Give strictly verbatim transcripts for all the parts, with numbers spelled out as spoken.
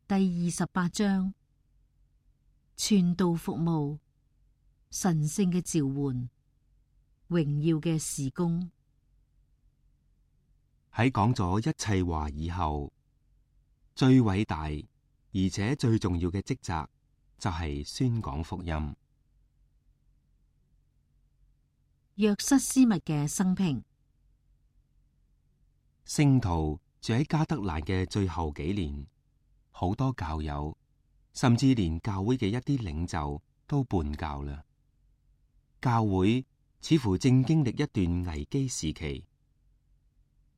第二十八章，傳道服務，神聖嘅召喚，榮耀嘅事工。喺講咗一切話以後，最偉大而且最重要嘅職責就係宣講福音。約瑟斯密嘅生平。聖徒住喺加德蘭嘅最後幾年，好多教友，甚至連教會嘅一啲領袖都叛教啦。教會似乎正經歷一段危機時期，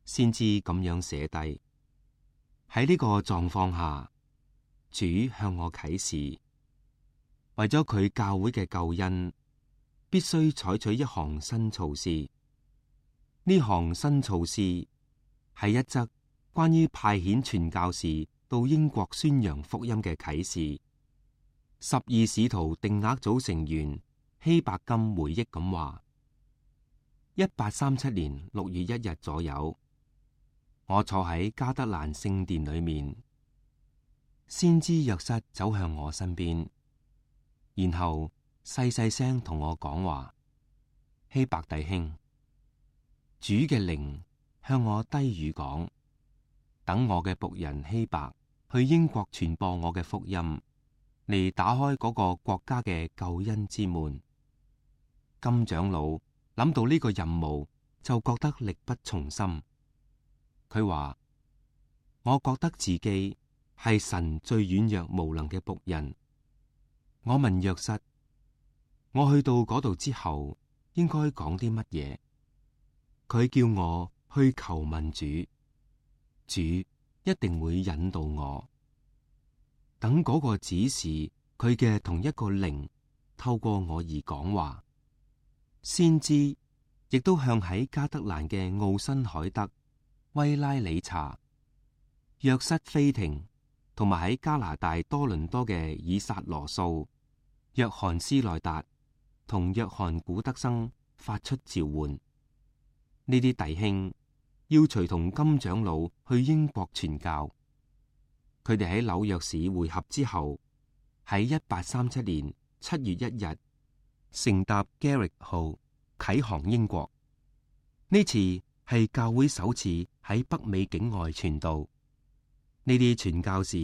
先知咁樣寫低：喺呢個狀況下，主向我啟示，為咗佢教會嘅救恩，必須採取一項新措施。呢項新措施係一則關於派遣傳教士到英國宣揚福音嘅啟示。十二使徒定額組成員希伯金回憶咁話：一八三七年六月一日左右，我坐喺加德蘭聖殿裏面，先知約瑟走向我身邊，然後細細聲同我講話：希伯弟兄，主嘅靈向我低語講，等我嘅僕人希伯去英國傳播我嘅福音，嚟打開嗰個國家嘅救恩之門。金長老諗到呢個任務，就覺得力不從心。佢話：我覺得自己係神最軟弱無能嘅僕人。我問約瑟：我去到嗰度之後，應該講啲乜嘢？佢叫我去求問主，主一定會引導我。等嗰個指示佢嘅同一個靈透過我而講話。先知亦都向喺加德蘭嘅奧辛海德、威拉里查、約瑟菲廷，同埋喺加拿大多倫多嘅以撒羅素、約翰斯內達同約翰古德生發出召喚。呢啲弟兄要隨同金長老去英國傳教。佢哋喺紐約市會合之後，喺一八三七年七月一日乘搭 Garrick 號啟航英國。呢次係教會首次喺北美境外傳道。呢啲傳教士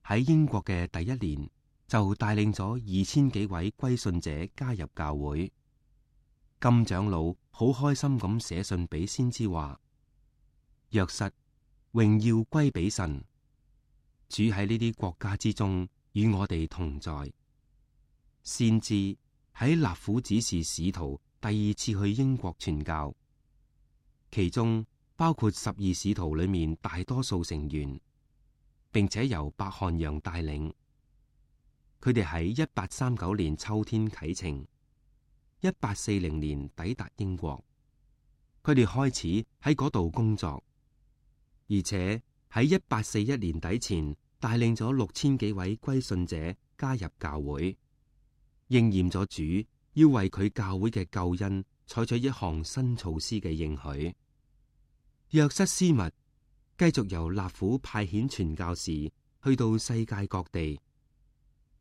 喺英國嘅第一年就帶領咗二千幾位歸信者加入教會。金長老好開心咁寫信俾先知話：約瑟，榮耀歸俾神，主喺呢啲國家之中與我哋同在。先知喺納府指示使徒第二次去英國傳教，其中包括十二使徒裏面大多數成員，並且由白漢陽帶領。佢哋喺一八三九年秋天啟程，一八四零年抵達英國。佢哋開始喺嗰度工作，而且喺一八四一年底前帶領咗六千幾位歸信者加入教會，應驗咗主要為佢教會嘅救恩採取一項新措施嘅應許。約瑟斯密繼續由納府派遣傳教士去到世界各地。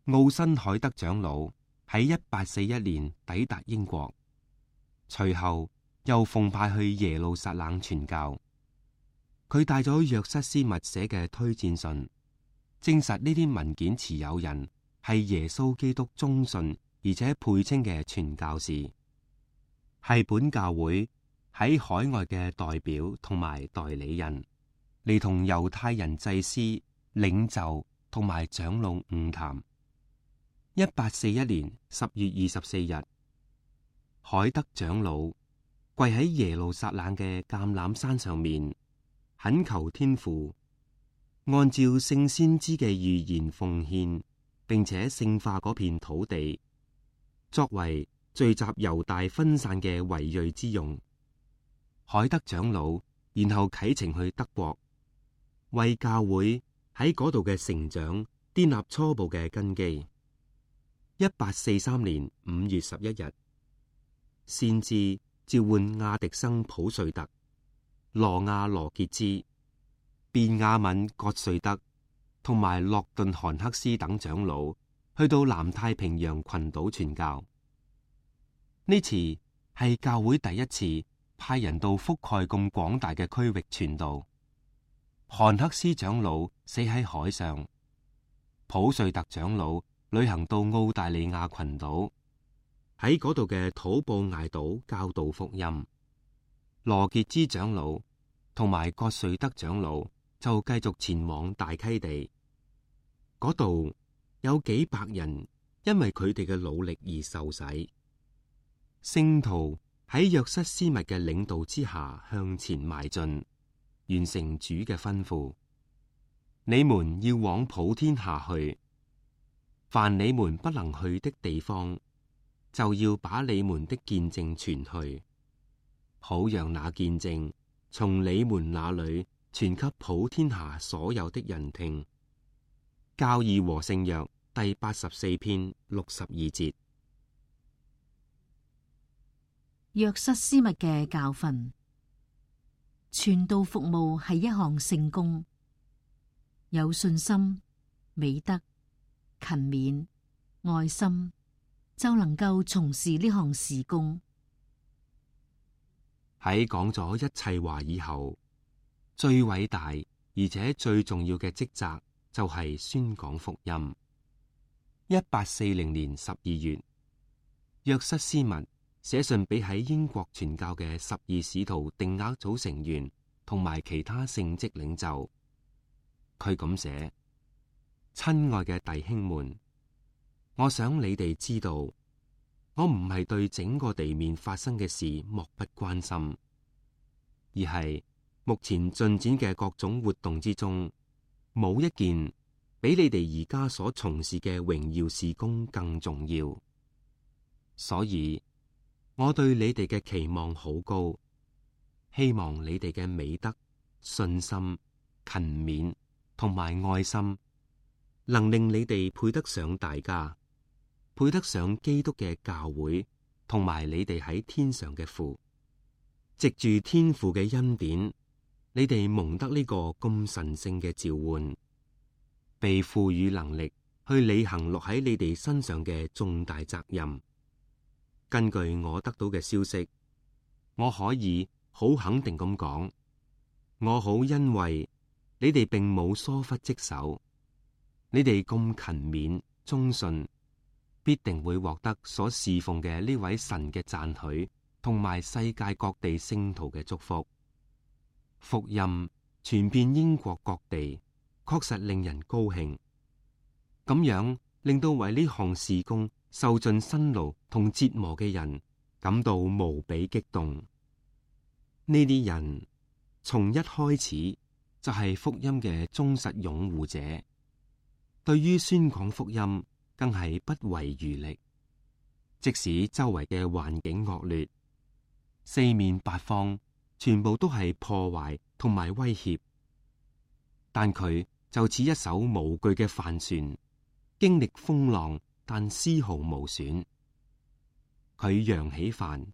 奧辛海德長老喺一八四一年抵達英國，隨後又奉派去耶路撒冷傳教。佢帶咗約瑟斯密寫嘅推薦信，證實呢啲文件持有人係耶穌基督忠信而且配稱嘅傳教士，係本教會喺海外嘅代表同埋代理人，嚟同猶太人祭司、領袖同埋長老晤談。一八四一年十月二十四日，海德長老跪喺耶路撒冷嘅橄欖山上面，懇求天父按照聖先知嘅預言奉獻，並且聖化嗰片土地，作為聚集猶大分散嘅維瑞之用。海德長老然後啟程去德國，為教會喺嗰度嘅成長奠立初步嘅根基。一八四三年五月十一日，先知召喚亞迪生普瑞特、羅亞羅傑茲、便雅憫葛瑞德、同埋洛頓韓克斯等長老去到南太平洋群島傳教。呢次係教會第一次派人到覆蓋咁廣大嘅區域傳道。韓克斯長老死喺海上，普瑞特長老旅行到澳大利亞群島，喺嗰度嘅土布艾島教導福音。羅傑茲長老同埋葛瑞德長老就繼續前往大溪地，嗰度有幾百人因為佢哋嘅努力而受洗。聖徒喺約瑟斯密嘅領導之下向前邁進，完成主嘅吩咐：你們要往普天下去，凡你們不能去的地方，就要把你們的見證傳去，好讓那見證從你們那裏傳給普天下所有的人聽。教義和聖約第八十四篇六十二節。約瑟斯密嘅教訓：傳道服務係一項聖工，有信心、美德、勤勉、愛心，就能夠從事呢項事工。喺講咗一切話以後，最偉大而且最重要嘅職責就係宣講福音。一八四零年十二月，約瑟斯密寫信俾喺英國傳教嘅十二使徒定額組成員同埋其他聖職領袖，佢咁寫：親愛嘅弟兄們，我想你哋知道，我唔係對整個地面發生嘅事漠不關心，而係目前進展嘅各種活動之中，冇一件比你哋而家所從事嘅榮耀事工更重要。所以我對你哋嘅期望好高，希望你哋嘅美德、信心、勤勉同埋愛心，能令你哋配得上大家，配得上基督嘅教會，同埋你哋喺天上嘅父。藉住天父嘅恩典，你哋蒙得呢個咁神聖嘅召喚，被賦予能力去履行落喺你哋身上嘅重大責任。根據我得到嘅消息，我可以好肯定咁講，我好欣慰你哋並冇疏忽職守，你哋咁勤勉忠信，必定會獲得所侍奉嘅呢位神嘅讚許，同埋世界各地聖徒嘅祝福。福音傳遍英國各地，確實令人高興。咁樣令到為呢項事工受盡辛勞同折磨嘅人感到無比激動。呢啲人從一開始就係福音嘅忠實擁護者，對於宣講福音更係不遺餘力。即使周圍嘅環境惡劣，四面八方全部都係破壞同埋威脅，但佢就似一艘無懼嘅帆船，經歷風浪但絲毫無損。佢揚起帆，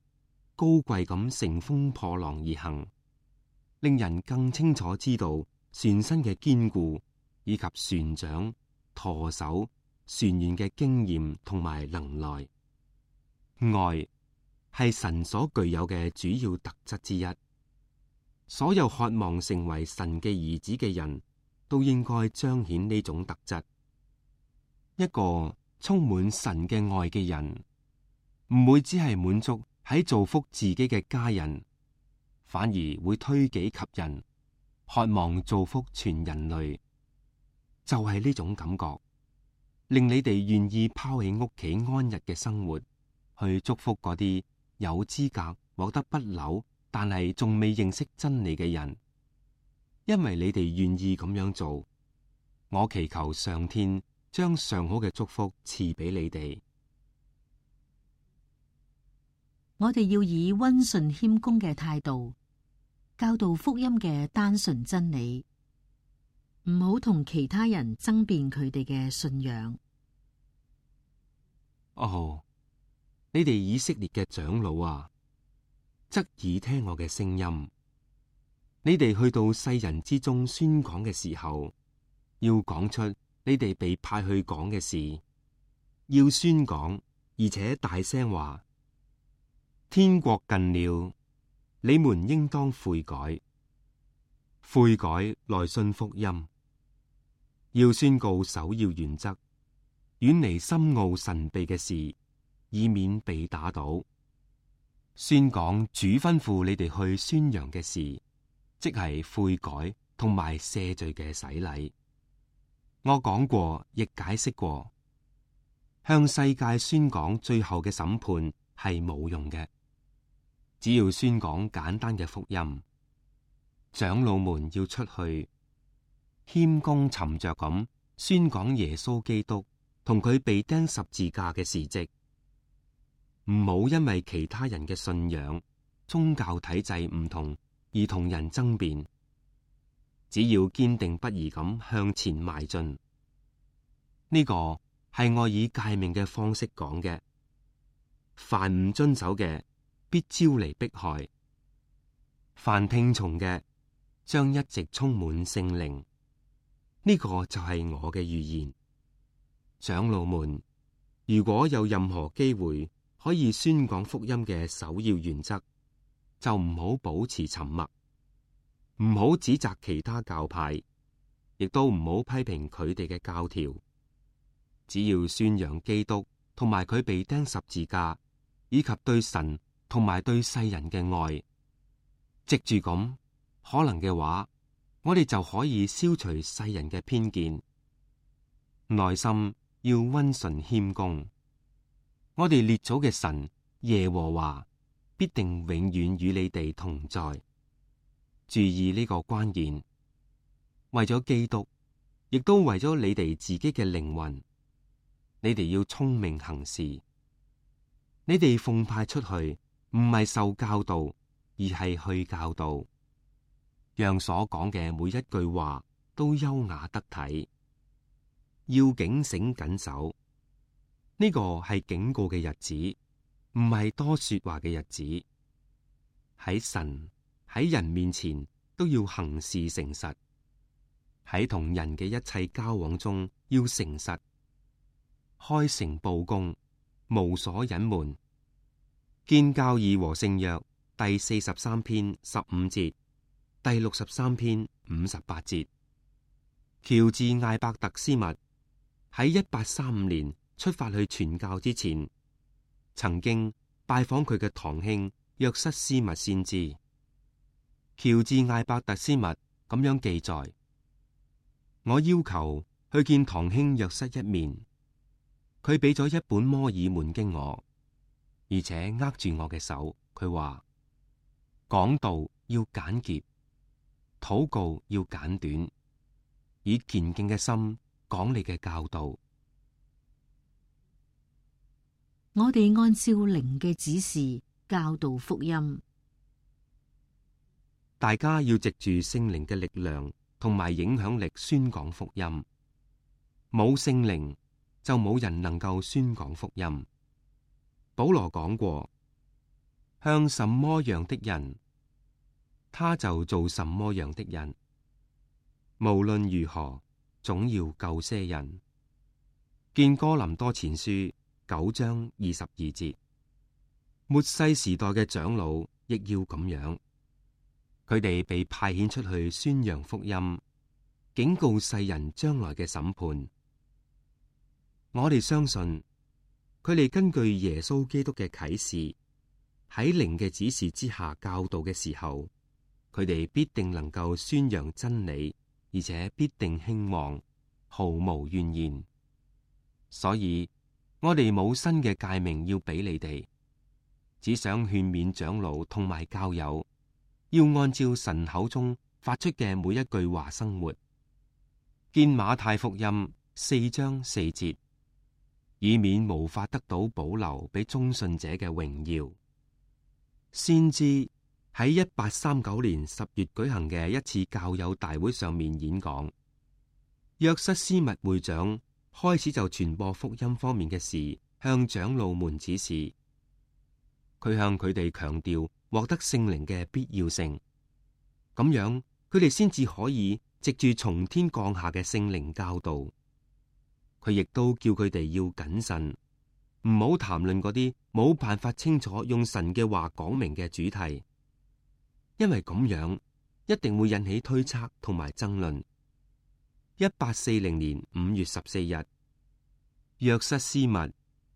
高貴咁乘風破浪而行，令人更清楚知道船身嘅堅固，以及船長、舵手、船員嘅經驗同埋能耐。愛係神所具有嘅主要特質之一。所有渴望成為神嘅兒子嘅人都應該彰顯呢種特質。一個充滿神嘅愛嘅人，唔會只係滿足喺造福自己嘅家人，反而會推己及人，渴望造福全人類。就係呢種感覺，令你哋願意拋棄屋企安逸嘅生活，去祝福嗰啲有資格獲得不朽但係仲未認識真理嘅人。因為你哋願意咁樣做，我祈求上天將上好嘅祝福賜俾你哋。我哋要以溫順謙恭嘅態度教導福音嘅單純真理，唔好同其他人爭辯佢哋嘅信仰。哦，你哋以色列嘅長老啊，側耳聽我嘅聲音。你哋去到世人之中宣講嘅時候，要講出你哋被派去講嘅事，要宣講，而且大聲話：天國近了，你們應當悔改，悔改來信福音。要宣告首要原則，遠離深奧神秘嘅事，以免被打倒。宣講主吩咐你哋去宣揚嘅事，即係悔改同埋赦罪嘅洗禮。我講過，亦解釋過，向世界宣講最後嘅審判係冇用嘅。只要宣講簡單嘅福音，長老們要出去謙恭沉着咁宣講耶穌基督同佢被釘十字架嘅事跡，唔好因為其他人嘅信仰、宗教體制唔同而同人爭辯。只要堅定不移咁向前邁進，呢個係我以誡命嘅方式講嘅。凡唔遵守嘅，必招嚟迫害；凡聽從嘅，將一直充滿聖靈。呢個就係我嘅預言。長老們，如果有任何機會可以宣講福音嘅首要原則，就唔好保持沉默。唔好指責其他教派，亦都唔好批評佢哋嘅教條。只要宣揚基督同埋佢被釘十字架，以及對神同埋對世人嘅愛，藉住咁可能嘅話，我哋就可以消除世人嘅偏見。內心要溫順謙恭。我哋列祖嘅神耶和華必定永遠與你哋同在。注意呢個關鍵，為咗基督，亦都為咗你哋自己嘅靈魂，你哋要聰明行事。你哋奉派出去，唔係受教導，而係去教導，讓所講嘅每一句話都優雅得體。要警醒謹守，呢個係警告嘅日子，唔係多說話嘅日子。喺神喺人面前都要行事誠實，喺同人嘅一切交往中要誠實，開誠佈公，無所隱瞞。建教義和聖約第四十三篇十五節，第六十三篇五十八節。喬治艾伯特斯密喺一八三五年出發去傳教之前，曾經拜訪佢嘅堂兄約瑟斯密先知。喬治艾伯特斯密咁樣記載：我要求去見堂兄約瑟一面，佢俾咗一本摩爾門經我，而且握住我嘅手。佢話講道要簡潔，禱告要簡短，以虔敬嘅心講你嘅教導。我哋按照靈嘅指示教導福音。大家要藉住聖靈嘅力量同埋影響力宣講福音。冇聖靈就冇人能夠宣講福音。保羅講過，向什麼樣的人，他就做什麼樣的人。無論如何，總要救些人。見哥林多前書九章二十二節。末世時代嘅長老亦要咁樣。佢哋被派遣出去宣揚福音，警告世人將來嘅審判。我哋相信佢哋根據耶穌基督嘅啟示，喺靈嘅指示之下教導嘅時候，佢哋必定能夠宣揚真理，而且必定興旺，毫無怨言。所以我哋冇新嘅誡命要俾你哋，只想勸勉長老同埋教友，要按照神口中發出嘅每一句話生活。見馬太福音四章四節，以免無法得到保留俾忠信者嘅榮耀。先知喺一八三九年十月舉行嘅一次教友大會上面演講，約瑟斯密會長開始就傳播福音方面嘅事向長老們指示。佢向佢哋強調獲得聖靈嘅必要性，咁樣佢哋先至可以藉住從天降下嘅聖靈教導。佢亦都叫佢哋要謹慎，唔好談論嗰啲冇辦法清楚用神嘅話講明嘅主題，因為咁樣一定會引起推測同埋爭論。一八四零年五月十四日，約瑟斯密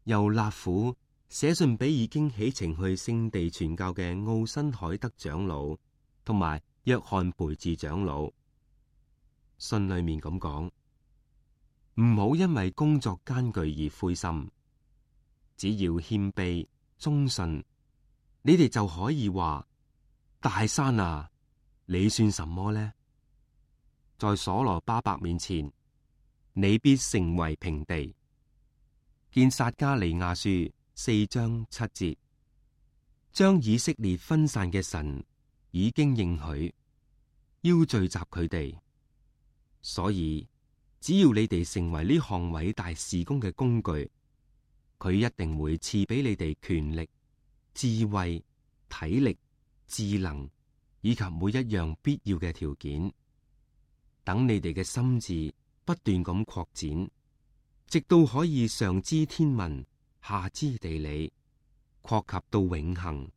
由納府寫信俾已經起程去聖地傳教嘅奧辛海德長老同埋約翰培治長老。信裏面咁講：唔好因為工作艱巨而灰心，只要謙卑忠信，你哋就可以話：大山啊，你算什麼呢？在所羅巴伯面前，你必成為平地。見撒迦利亞書四章七節，將以色列分散嘅神已經應許，要聚集佢哋，所以只要你哋成為呢項偉大事工嘅工具，佢一定會賜俾你哋權力、智慧、體力、智能以及每一樣必要嘅條件。等你哋嘅心智不斷咁擴展，直到可以上知天文，下知地理，擴及到永恆，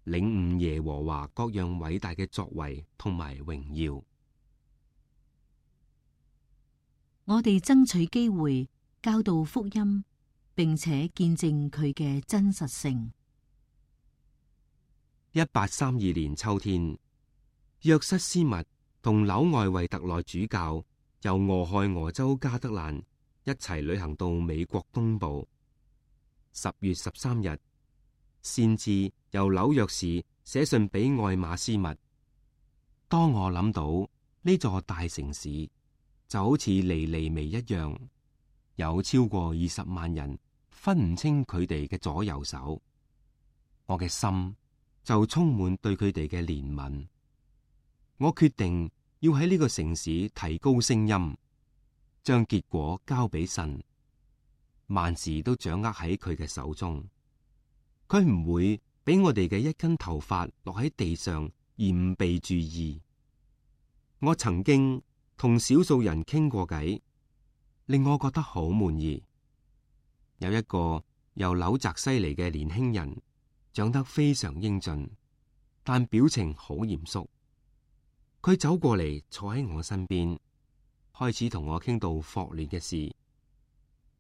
領悟耶和華各樣偉大嘅作為同埋榮耀。我哋爭取機會教導福音，並且見證佢嘅真實性。一八三二年秋天，約瑟斯密同紐外維特內主教由俄亥俄州加德蘭一齊旅行到美國東部。十月十三日，先至由紐約市寫信俾愛馬斯密。當我諗到呢座大城市就好似尼尼微一樣，有超過二十萬人分唔清佢哋嘅左右手，我嘅心就充滿對佢哋嘅憐憫。我決定要喺呢個城市提高聲音，將結果交俾神，萬事都掌握喺佢嘅手中。佢唔會俾我哋嘅一根頭髮落喺地上而唔被注意。我曾經同少數人傾過偈，令我覺得好滿意。有一個由紐澤西嚟嘅年輕人，長得非常英俊，但表情好嚴肅。佢走過嚟坐喺我身邊，開始同我傾到霍亂嘅事。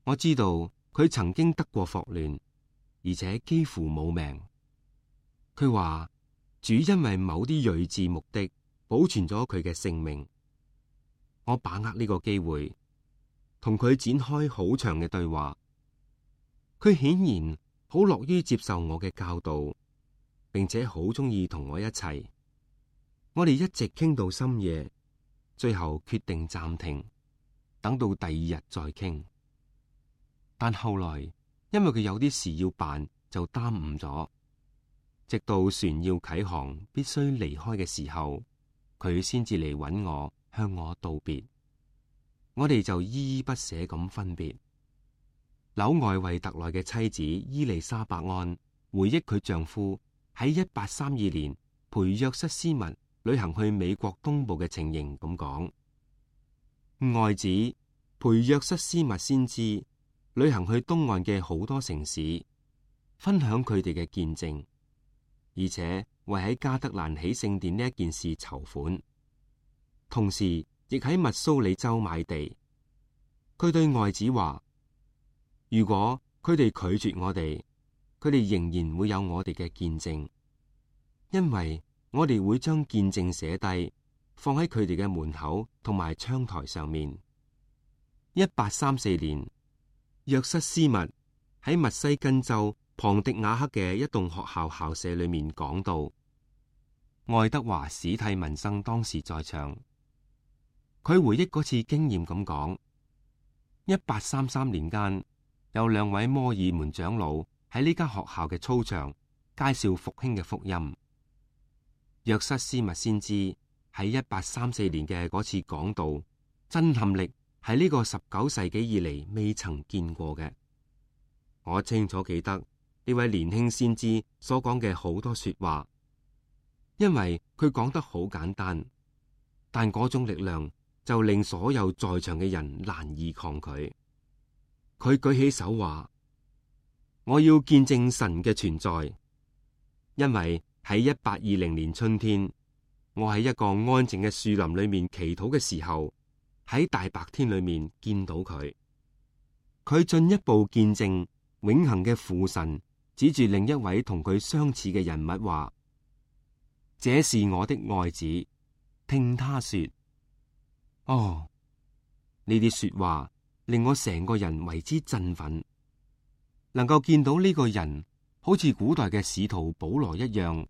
我知道佢曾經得過霍亂，而且幾乎冇命。佢話主因為某啲睿智目的保存咗佢嘅性命。我把握呢個機會，同佢展開好長嘅對話。佢顯然好樂於接受我嘅教導，並且好鍾意同我一齊。我哋一直傾到深夜，最後決定暫停，等到第二日再傾。但後來因為佢有啲事要辦，就耽誤咗。直到船要啟航，必須離開嘅時候，佢先至嚟搵我，向我道別。我哋就依依不捨咁分別。紐外維特內嘅妻子伊麗莎白安回憶佢丈夫喺一八三二年陪約瑟斯密旅行去美國東部嘅情形咁講：愛子陪約瑟斯密先知旅行去東岸嘅好多城市，分享佢哋嘅見證，而且為喺加德蘭起聖殿呢一件事籌款，同時亦喺密蘇里州買地。佢對愛子話：如果佢哋拒絕我哋，佢哋仍然會有我哋嘅見證，因為我哋會將見證寫低，放喺佢哋嘅門口同埋窗台上面。一八三四年，約瑟斯密喺密西根州龐迪瓦克嘅一棟學校校舍裏面講道。愛德華史蒂文生當時在場，佢回憶嗰次經驗咁講：一八三三年間，有兩位摩爾門長老喺呢間學校嘅操場介紹復興嘅福音。約瑟斯密先知喺一八三四年嘅嗰次講道，震撼力係呢個十九世紀以嚟未曾見過嘅。我清楚記得呢位年輕先知所講嘅好多說話，因為佢講得好簡單，但嗰種力量就令所有在場嘅人難以抗拒。佢舉起手話：我要見證神嘅存在，因為喺一八二零年春天，我喺一個安靜嘅樹林裏面祈禱嘅時候，喺大白天裏面見到佢。佢進一步見證永恆嘅父神指住另一位同佢相似嘅人物話：這是我的愛子，聽他說。哦，呢啲說話令我成個人為之振奮，能夠見到呢個人好似古代嘅使徒保羅一樣，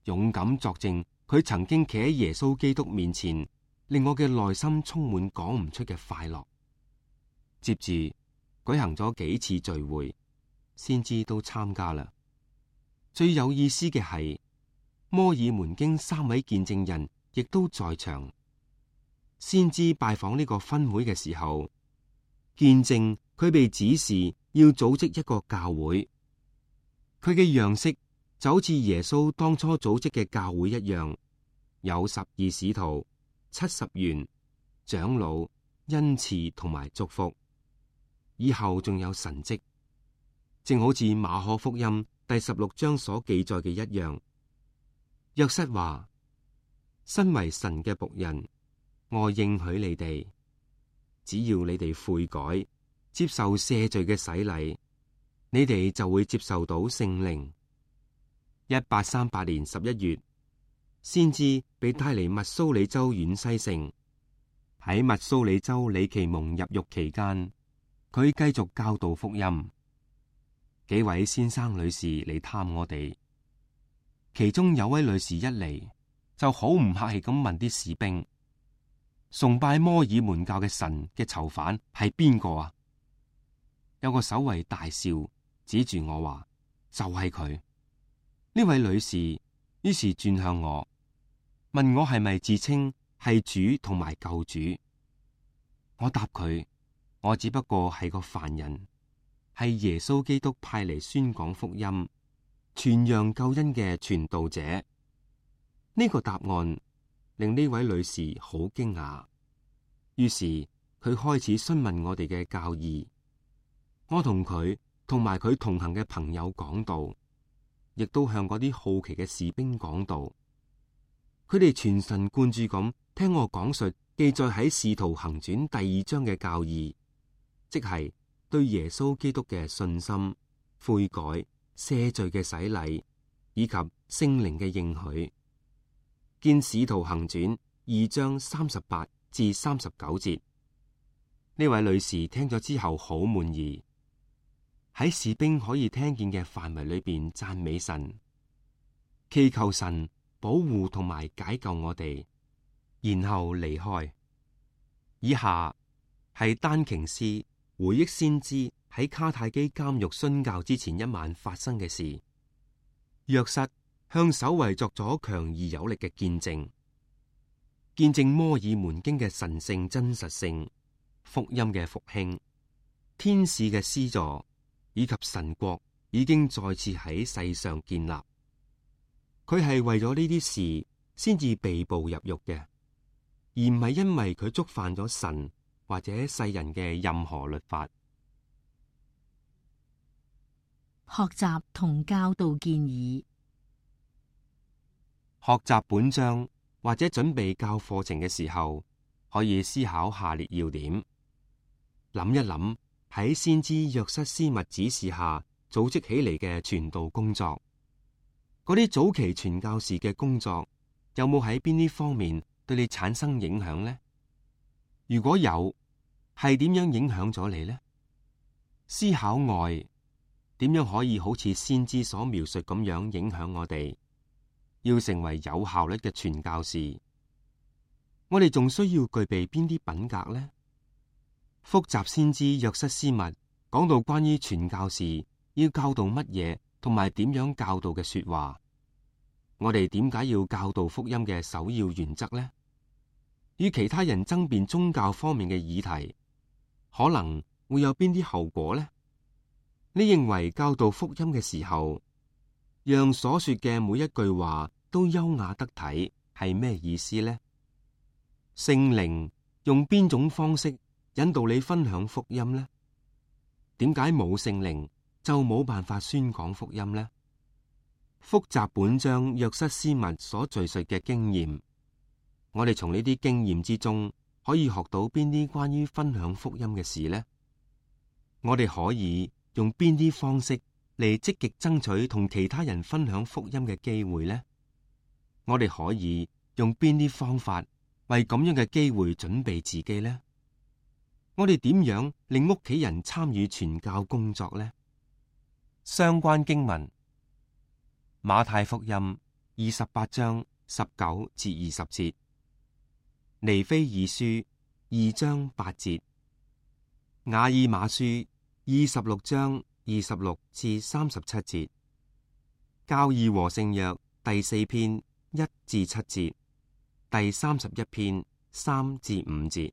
勇敢作證佢曾經企喺耶穌基督面前，令我嘅內心充滿講唔出嘅快樂。接住舉行咗幾次聚會，先知都參加啦。最有意思嘅係，摩爾門經三位見證人亦都在場。先知拜訪呢個分會嘅時候，見證佢被指示要組織一個教會。佢嘅樣式就好似耶穌當初組織嘅教會一樣，有十二使徒、七十員、長老、恩賜同埋祝福。以後仲有神蹟，正好似馬可福音第十六章所記載嘅一樣。約瑟話：身為神嘅僕人，我應許你哋，只要你哋悔改，接受赦罪嘅洗禮，你哋就會接受到聖靈。一八三八年十一月，先知被帶離密蘇里州遠西城。喺密蘇里州李奇蒙入獄期間，佢繼續教導福音。幾位先生女士嚟探我哋，其中有位女士一嚟就好唔客氣咁問啲士兵：崇拜摩爾門教嘅神嘅囚犯係邊個啊？有個守衛大笑，指住我話：就係佢。呢位女士於是轉向我，問我係咪自稱係主同埋救主。我答佢：我只不過係個凡人，係耶穌基督派嚟宣講福音、傳揚救恩嘅傳道者。呢個答案令呢位女士好驚訝，於是佢開始詢問我哋嘅教義。我同佢同埋佢同行嘅朋友講道，亦都向嗰啲好奇嘅士兵講道。佢哋全神貫注咁聽我講述記載喺《使徒行傳》第二章嘅教義，即係對耶穌基督嘅信心、悔改、赦罪嘅洗禮，以及聖靈嘅應許。見《使徒行傳》二章三十八至三十九節。呢位女士聽咗之後好滿意，喺士兵可以聽見嘅範圍裏邊讚美神，祈求神保護同埋解救我哋，然後離開。以下係丹瓊斯回憶先知喺卡泰基監獄殉教之前一晚發生嘅事。約瑟向守衛作咗強而有力嘅見證，見證摩爾門經嘅神聖真實性、福音嘅復興、天使嘅施助，以及神國已經再次喺世上建立。佢係為咗呢啲事先至被捕入獄嘅，而唔係因為佢觸犯咗神或者世人嘅任何律法。學習同教導建議。學習本章或者準備教課程嘅時候，可以思考下列要點。諗一諗喺先知約瑟斯密指示下組織起嚟嘅傳道工作，嗰啲早期傳教士嘅工作有冇喺邊啲方面對你產生影響呢？如果有，係點樣影響咗你呢？思考愛點樣可以好似先知所描述咁樣影響我哋？要成為有效率嘅傳教士，我哋仲需要具備邊啲品格呢？複習先知約瑟斯密講到關於傳教士要教導乜嘢同埋點樣教導嘅說話，我哋點解要教導福音嘅首要原則呢？與其他人爭辯宗教方面嘅議題，可能會有邊啲後果呢？你認為教導福音嘅時候，讓所說嘅每一句話都優雅得體，係咩意思呢？聖靈用邊種方式引導你分享福音呢？點解冇聖靈就冇辦法宣講福音呢？複習本章約瑟斯密所敘述嘅經驗，我哋從呢啲經驗之中可以學到邊啲關於分享福音嘅事呢？我哋可以用邊啲方式嚟積極爭取同其他人分享福音嘅機會呢？我哋可以用邊啲方法為咁樣嘅機會準備自己呢？我哋點樣令屋企人參與傳教工作呢？相關經文：馬太福音二十八章十九至二十節，尼非爾書二章八節，雅爾馬書二十六章二十六至三十七節，教義和聖約第四篇一至七節，第三十一篇三至五節。